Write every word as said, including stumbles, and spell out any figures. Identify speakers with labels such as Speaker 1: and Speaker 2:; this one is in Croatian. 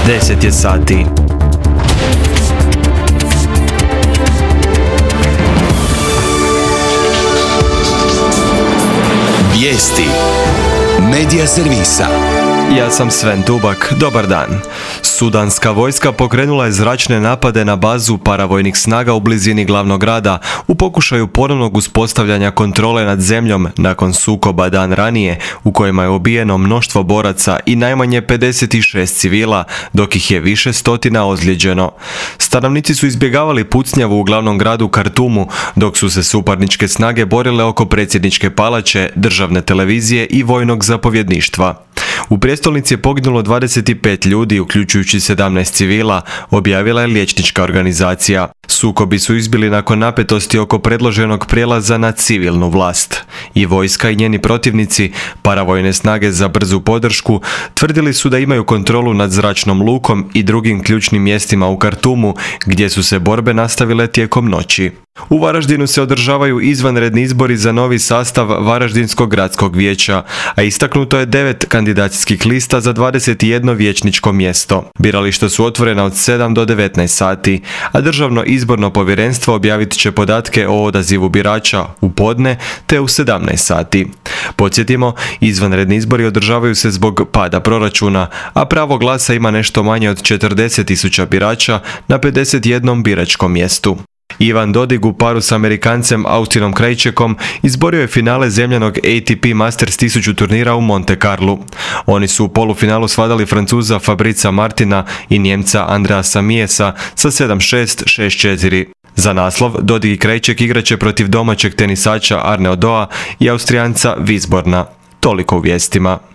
Speaker 1: deset je sati.
Speaker 2: Vijesti Medija servisa.
Speaker 1: Ja sam Sven Dubak, dobar dan. Sudanska vojska pokrenula je zračne napade na bazu paravojnih snaga u blizini glavnog grada u pokušaju ponovnog uspostavljanja kontrole nad zemljom nakon sukoba dan ranije u kojima je ubijeno mnoštvo boraca i najmanje pedeset šest civila, dok ih je više stotina ozlijeđeno. Stanovnici su izbjegavali pucnjavu u glavnom gradu Kartumu, dok su se suparničke snage borile oko predsjedničke palače, državne televizije i vojnog zapovjedništva. U prijestolnici je poginulo dvadeset pet ljudi, uključujući sedamnaest civila, objavila je liječnička organizacija. Sukobi su izbili nakon napetosti oko predloženog prijelaza na civilnu vlast. I vojska i njeni protivnici, paravojne snage za brzu podršku, tvrdili su da imaju kontrolu nad zračnom lukom i drugim ključnim mjestima u Kartumu, gdje su se borbe nastavile tijekom noći. U Varaždinu se održavaju izvanredni izbori za novi sastav Varaždinskog gradskog vijeća, a istaknuto je devet kandidacijskih lista za dvadeset jedno vijećničko mjesto. Birališta su otvorena od sedam do devetnaest sati, a Državno izborno povjerenstvo objavit će podatke o odazivu birača u podne te u sedamnaest sati. Podsjetimo, izvanredni izbori održavaju se zbog pada proračuna, a pravo glasa ima nešto manje od četrdeset tisuća birača na pedeset jednom biračkom mjestu. Ivan Dodig u paru s Amerikancem Austinom Krajčekom izborio je finale zemljanog A T P Masters tisuću turnira u Monte Carlu. Oni su u polufinalu svladali Francuza Fabrica Martina i Njemca Andreasa Miesa sa sedam šest, šest četiri. Za naslov Dodig i Krajček igraće protiv domaćeg tenisača Arnaud Doa i Austrijanca Wisborna. Toliko u vijestima.